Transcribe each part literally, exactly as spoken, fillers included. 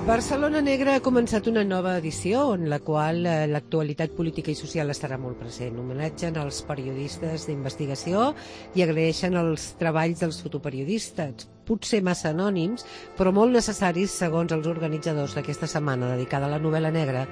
Barcelona Negra ha començat una nova edició en la qual l'actualitat política i social estarà molt present. Homenatgen els periodistes d'investigació i agraeixen els treballs dels fotoperiodistes, potser massa anònims, però molt necessaris segons els organitzadors d'aquesta setmana dedicada a la novel·la negra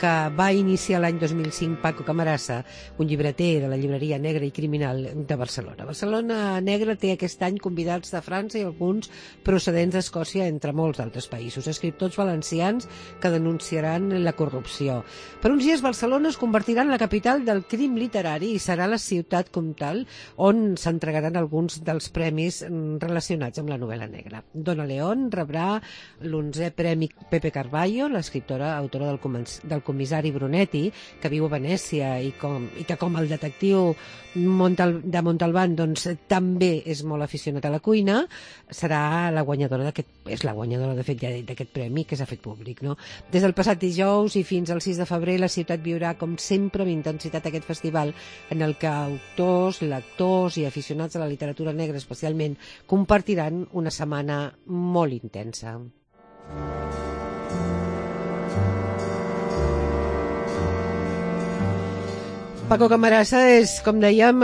que va iniciar l'any dos mil cinc Paco Camarasa, un llibreter de la llibreria Negra i Criminal de Barcelona. Barcelona Negra té aquest any convidats de França i alguns procedents d'Escòcia, entre molts altres països, escriptors valencians que denunciaran la corrupció. Per uns dies Barcelona es convertirà en la capital del crim literari i serà la ciutat com tal on s'entregaran alguns dels premis relacionats amb la novel·la negra. Dona León rebrà l'onzè Premi Pepe Carballo, l'escriptora autora del, del comissari Brunetti, que viu a Venècia i, com, i que com el detectiu Montal, de Montalbán doncs, també és molt aficionat a la cuina, serà la guanyadora d'aquest, és la guanyadora de fet d'aquest premi que s'ha fet públic. No? Des del passat dijous i fins al sis de febrer la ciutat viurà com sempre amb intensitat aquest festival en el que autors, lectors i aficionats a la literatura negra especialment compartiran una setmana molt intensa. Paco Camarasa és, com dèiem,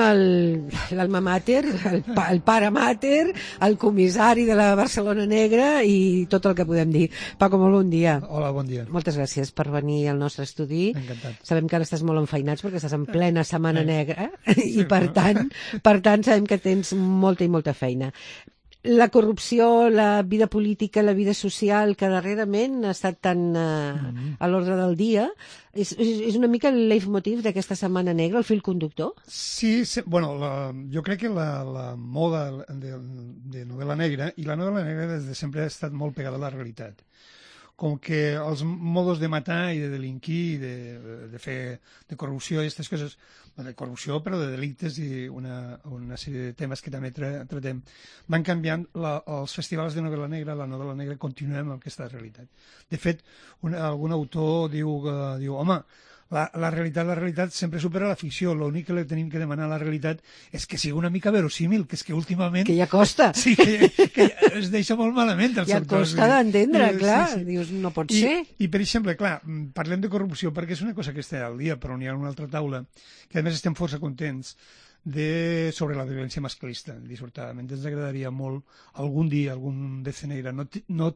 l'alma mater, el, pa, el pare mater, el comissari de la Barcelona Negra i tot el que podem dir. Paco, molt bon dia. Hola, bon dia. Moltes gràcies per venir al nostre estudi. Encantat. Sabem que ara estàs molt enfeinats perquè estàs en plena Setmana Negra i per tant, per tant sabem que tens molta i molta feina. La corrupció, la vida política, la vida social, que darrerament ha estat tan uh, mm-hmm. a l'ordre del dia, és, és una mica el leitmotiv d'aquesta Setmana Negra, el fil conductor? Sí, sí bueno, la, jo crec que la, la moda de, de novel·la negra, i la novel·la negra des de sempre ha estat molt pegada a la realitat. Com que els modos de matar i de delinquir, de, de fer de corrupció i aquestes coses, de corrupció però de delictes i una, una sèrie de temes que també tra tratem, van canviant la, els festivals de novel·la negra, la novel·la negra continua amb aquesta realitat. De fet, un, algun autor diu, uh, diu home, La, la realitat, la realitat sempre supera la ficció. L'únic que li tenim que demanar a la realitat és que sigui una mica verosímil, que és que últimament... Que ja costa. Sí, que, que es deixa molt malament. Els ja autors. Costa d'entendre, clar. Sí, sí. Dius, no pot I, ser. I, per exemple, clar, parlem de corrupció perquè és una cosa que està al dia, però n'hi ha una altra taula, que a més estem força contents, de, sobre la violència masclista. Dissortadament ens agradaria molt algun dia, algun deceneira, no, no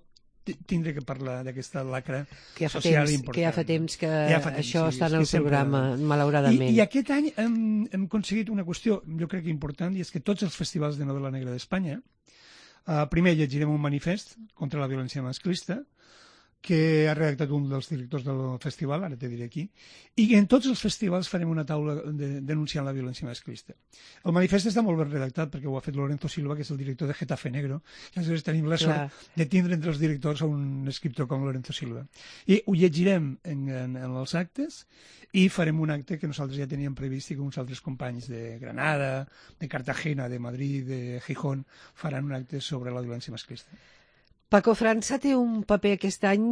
tindre que parlar d'aquesta lacra que ja social temps, important. Que ja fa temps que ja fa temps, això sí, està en el programa, sempre... malauradament. I, I aquest any hem, hem aconseguit una qüestió, jo crec que important, i és que tots els festivals de novel·la negra d'Espanya, uh, primer llegirem un manifest contra la violència masclista, que ha redactat un dels directors del festival, ara te diré aquí, i en tots els festivals farem una taula de, denunciant la violència masclista. El manifest està molt ben redactat perquè ho ha fet Lorenzo Silva, que és el director de Getafe Negro, i aleshores tenim la sort Clar. de tindre entre els directors a un escriptor com Lorenzo Silva. I ho llegirem en, en, en els actes i farem un acte que nosaltres ja teníem previst i que uns altres companys de Granada, de Cartagena, de Madrid, de Gijón, faran un acte sobre la violència masclista. Paco, França té un paper aquest any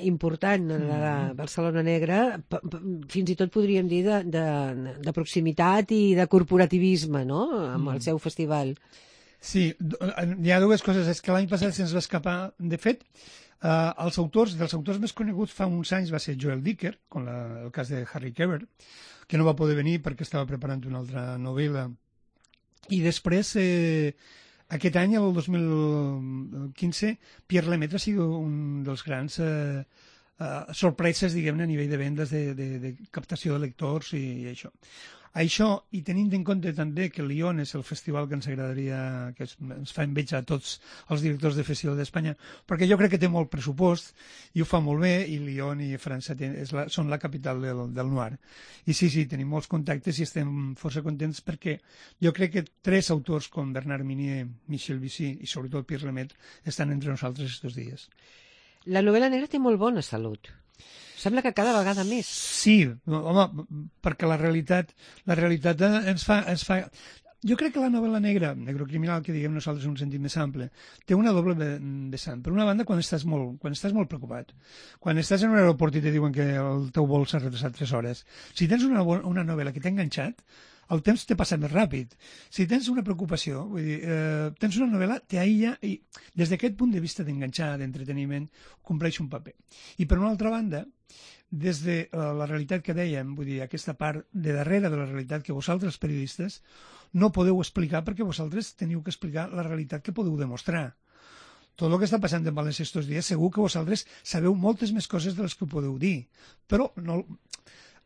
important en la Barcelona Negra, fins i tot podríem dir de, de, de proximitat i de corporativisme, no?, amb el seu festival. Sí, hi ha dues coses. És que l'any passat se'ns va escapar. De fet, eh, els autors, dels autors més coneguts fa uns anys va ser Joel Dicker, com la, el cas de Harry Keber, que no va poder venir perquè estava preparant una altra novel·la. I després... Eh, Aquest any, el dos mil quinze, Pierre Lemaitre ha sigut un dels grans eh, eh, sorpreses, diguem-ne, a nivell de vendes, de, de, de captació de lectors i, i això. Això, i tenint en compte també que Lyon és el festival que ens agradaria, que es, ens fa enveja a tots els directors de festival d'Espanya, perquè jo crec que té molt pressupost i ho fa molt bé, i Lyon i França ten, és la, són la capital del, del Noir. I sí, sí, tenim molts contactes i estem força contents perquè jo crec que tres autors com Bernard Minier, Michel Vichy i sobretot Pierre Lemaitre estan entre nosaltres estos dies. La novel·la negra té molt bona salut. Sembla que cada vegada més. Sí, home, perquè la realitat, la realitat ens fa, ens fa... Jo crec que la novel·la negra, negrocriminal, que diguem nosaltres en un sentit més ample, té una doble vessant. Per una banda, quan estàs molt, quan estàs molt preocupat, quan estàs en un aeroport i te diuen que el teu vol s'ha retrasat tres hores, si tens una, una novel·la que t'ha enganxat, el temps te passa més ràpid. Si tens una preocupació, vull dir, eh, tens una novel·la, t'aïlla i des d'aquest punt de vista d'enganxar, d'entreteniment, compleix un paper. I per una altra banda, des de uh, la realitat que dèiem, vull dir, aquesta part de darrere de la realitat que vosaltres, periodistes, no podeu explicar perquè vosaltres teniu que explicar la realitat que podeu demostrar. Tot el que està passant en València estos dies, segur que vosaltres sabeu moltes més coses de les que podeu dir, però no,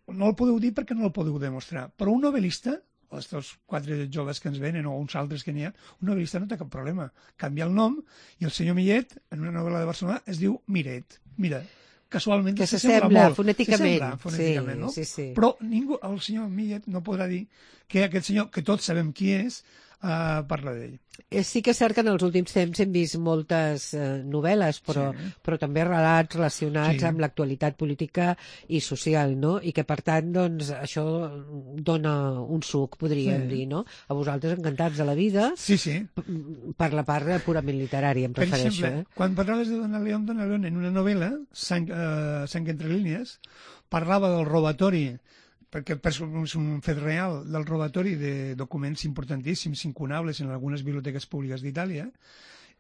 no el podeu dir perquè no el podeu demostrar. Però un novel·lista, els quatre joves que ens venen o uns altres que n'hi ha, un novel·lista no té cap problema. Canvia el nom i el senyor Millet, en una novel·la de Barcelona, es diu Miret. Mira, casualment que se sembla molt. fonèticament. Sembla, fonèticament, sí, no? sí, sí. Però ningú, el senyor Millet no podrà dir que aquest senyor, que tots sabem qui és, uh, parla d'ell. Sí que és cert que en els últims temps hem vist moltes eh, novel·les, però, sí. però també relats relacionats sí. amb l'actualitat política i social, no? I que, per tant, doncs, això dona un suc, podríem sí. dir, no? A vosaltres encantats de la vida, sí, sí. per la part purament literària, em per refereixo. Per exemple, eh? quan parlaves de Dona León, Dona León, en una novel·la, Sang, eh, Sang entre línies, parlava del robatori, perquè és un fet real del robatori de documents importantíssims, incunables en algunes biblioteques públiques d'Itàlia,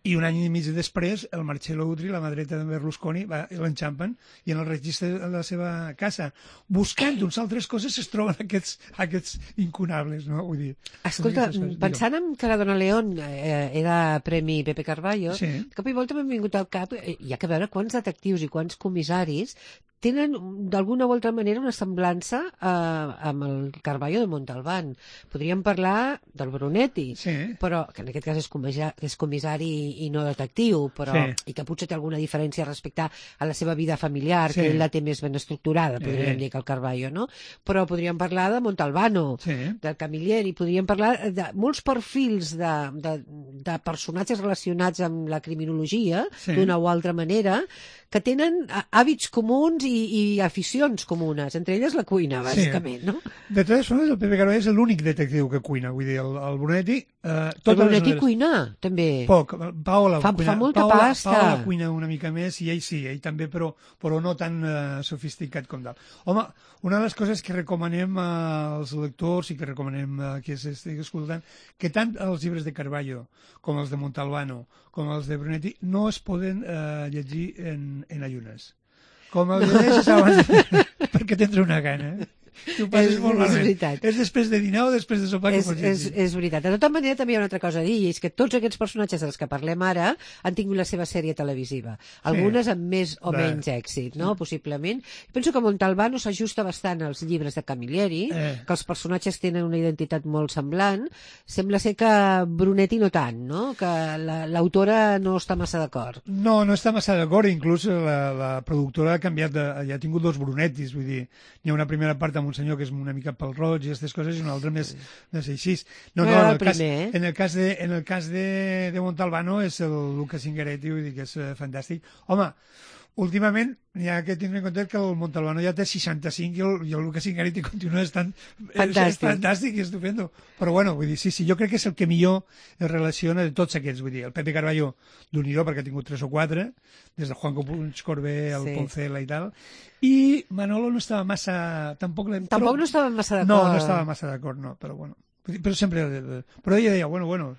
i un any i mig després el Marcello Utri, la mà dreta de Berlusconi, va, l'enxampen i en el registre de la seva casa, buscant uns altres coses, es troben aquests, aquests incunables, no? Vull dir, escolta, pensant en que la Dona León eh, era Premi Pepe Carballo, sí. de cop i volta m'han vingut al cap, eh, hi ha que veure quants detectius i quants comissaris tenen d'alguna o altra manera una semblança eh, amb el Carballo de Montalbán. Podríem parlar del Brunetti, sí. però que en aquest cas és, comissari, és comissari i no detectiu, però, sí. i que potser té alguna diferència respecte a la seva vida familiar, sí. que ell la té més ben estructurada, podríem sí. dir, que el Carballo, no? Però podríem parlar de Montalbano, sí. del Camilleri, podríem parlar de molts perfils de, de, de personatges relacionats amb la criminologia, sí. d'una o altra manera, que tenen hàbits comuns i, i aficions comunes, entre elles la cuina, bàsicament, sí. no? De totes formes, el Pepe Carballo és l'únic detectiu que cuina, vull dir, el, el Brunetti... Eh, el Brunetti cuina, també. Poc, Paola fa, cuina, fa molta Paola, pasta. Paola cuina una mica més, i ell sí, ell també, però, però no tan uh, sofisticat com tal. Home, una de les coses que recomanem als lectors i que recomanem uh, que s'estigui escoltant, que tant els llibres de Carballo com els de Montalbano com els de Brunetti no es poden uh, llegir en, en ayunes. Com el llegeixes abans, perquè tindrà una gana. Tu passes és, molt malament. És després de dinar o després de sopar que és, pots és, és veritat. De tota manera, també hi ha una altra cosa a dir, i és que tots aquests personatges dels que parlem ara han tingut la seva sèrie televisiva. Algunes sí. amb més o Clar. menys èxit, no? Sí. Possiblement. Penso que Montalbano s'ajusta bastant als llibres de Camilleri, eh. que els personatges tenen una identitat molt semblant. Sembla ser que Brunetti no tant, no? Que l'autora la, no està massa d'acord. No, no està massa d'acord. Inclús la, la productora ha canviat, de, ja ha tingut dos Brunettis, vull dir, hi ha una primera part amb un senyor que és una mica pel roig i aquestes coses, i una altra més, més així. No, no, en el, cas, eh? en el cas, de, en el cas de, de Montalbano és el Luca Zingaretti, vull dir que és uh, fantàstic. Home, últimament hi ha que tindre en compte que el Montalbano ja té seixanta-cinc i el, i el Luca Zingaretti continua estant fantàstic. És fantàstic i estupendo. Però bueno, vull dir, sí, sí, jo crec que és el que millor es relaciona de tots aquests, vull dir, el Pepe Carballo d'Unidó, perquè ha tingut tres o quatre, des de Juan Puig Corbé, el sí. Poncela i tal, i Manolo no estava massa... Tampoc, Tampoc no estava massa d'acord. No, no estava massa d'acord, no, però bueno. Però sempre... Però ella deia, bueno, bueno,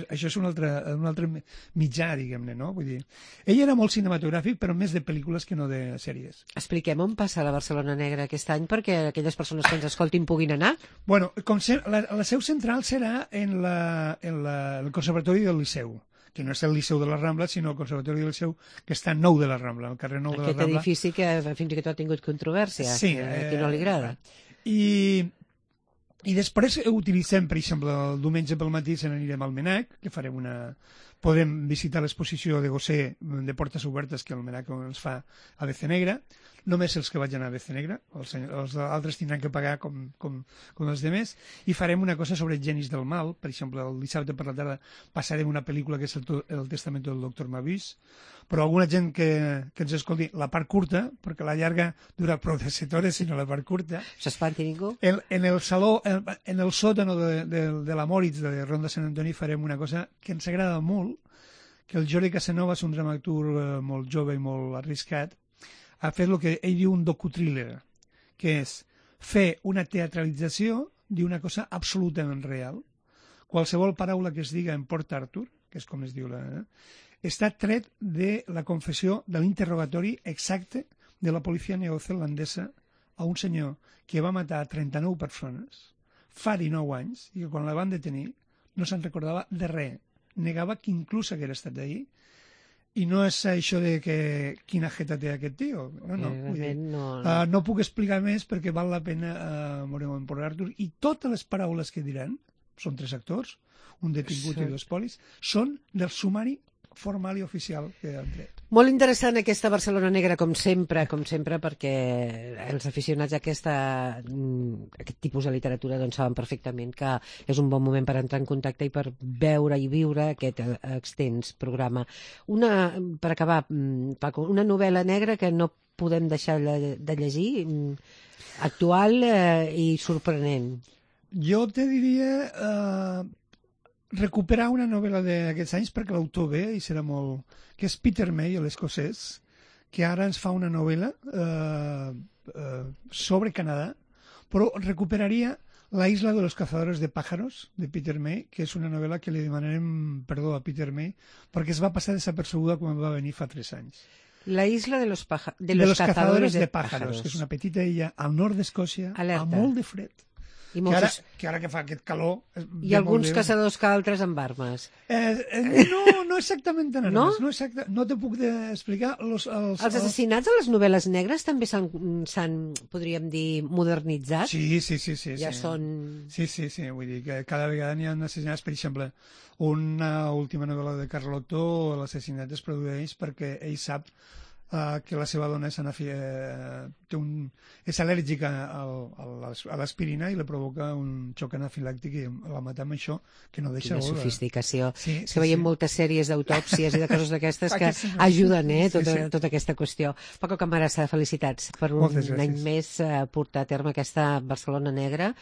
això és un altre, un altre mitjà, diguem-ne, no? Vull dir, ell era molt cinematogràfic, però més de pel·lícules que no de sèries. Expliquem on passa la Barcelona Negra aquest any perquè aquelles persones que ens escoltin puguin anar. Bueno, com se, la, la seu central serà en, la, en la, el Conservatori del Liceu, que no és el Liceu de la Rambla, sinó el Conservatori del Liceu, que està en Nou de la Rambla, al carrer Nou de Aquest la Rambla. Aquest edifici que fins i tot ha tingut controvèrsia, sí, que a qui no li agrada. I, i després utilitzem, per exemple, el diumenge pel matí se n'anirem al Menac, que farem una... Podem visitar l'exposició de Gosé de Portes Obertes, que el Menac ens fa a Bece Negra. Només els que vagin a Bece Negra, els, els altres tindran que pagar com, com, com els demés, i farem una cosa sobre genis del mal. Per exemple, el dissabte per la tarda passarem una pel·lícula que és el, el Testament del doctor Mabís, però alguna gent que, que ens escolti la part curta, perquè la llarga dura prou de set hores, sinó la part curta. S'espanti ningú? En, en el saló, en, en el sòtano de, de, de la Moritz de Ronda Sant Antoni farem una cosa que ens agrada molt, que el Jordi Casanova és un dramaturg molt jove i molt arriscat, ha fet el que ell diu un docu-thriller, que és fer una teatralització diu una cosa absolutament real. Qualsevol paraula que es diga en Port Arthur, que és com es diu la... Eh, està tret de la confessió de l'interrogatori exacte de la policia neozelandesa a un senyor que va matar trenta-nou persones fa dinou anys i que quan la van detenir no se'n recordava de res. Negava que inclús haguera estat allí. I no és això de que quina jeta té aquest tio. No, no, vull dir, no, no. Uh, no puc explicar més perquè val la pena uh, veure-ho en Port Arthur. I totes les paraules que diran, són tres actors, un detingut sí. i dos polis, són del sumari formal i oficial que han tret. Molt interessant aquesta Barcelona Negra, com sempre, com sempre, perquè els aficionats a aquesta, aquest tipus de literatura doncs, saben perfectament que és un bon moment per entrar en contacte i per veure i viure aquest extens programa. Una, per acabar, Paco, una novel·la negra que no podem deixar de llegir, actual eh, i sorprenent. Jo te diria... Eh... recuperar una novel·la d'aquests anys perquè l'autor ve i serà molt... que és Peter May, l'escocès, que ara ens fa una novel·la eh, eh, sobre Canadà, però recuperaria La isla de los cazadores de pájaros, de Peter May, que és una novel·la que li demanarem perdó a Peter May perquè es va passar desapercebuda quan va venir fa tres anys. La isla de los, paja... de los, los cazadores, cazadores de, de pájaros, pájaros, que és una petita illa al nord d'Escòcia, amb molt de fred. I que, ara, que ara que fa aquest calor... I alguns caçadors que altres amb armes. Eh, eh, no, no exactament en armes. No? No, exacte, no te puc explicar... Los, els, els assassinats a les novel·les negres també s'han, podríem dir, modernitzat? Sí, sí, sí. sí ja sí. són... Sí, sí, sí. Vull dir que cada vegada n'hi ha assassinats. Per exemple, una última novel·la de Carlotto, l'assassinat es produeix perquè ell sap Uh, que la seva dona és, anafi, uh, té un, és al·lèrgica al, al, a l'aspirina i li provoca un xoc anafilàctic i la mata amb això, que no deixa... Quina sofisticació. Sí, és sí, que veiem sí. moltes sèries d'autòpsies i de coses d'aquestes que ajuden eh, tota, sí, sí. tota aquesta qüestió. Paco Camarasa, felicitats per un any més uh, portar a terme aquesta Barcelona Negra,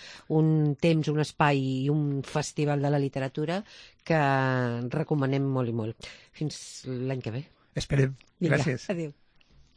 un temps, un espai i un festival de la literatura que recomanem molt i molt. Fins l'any que ve. Esperem. Gràcies. Vinga, adéu.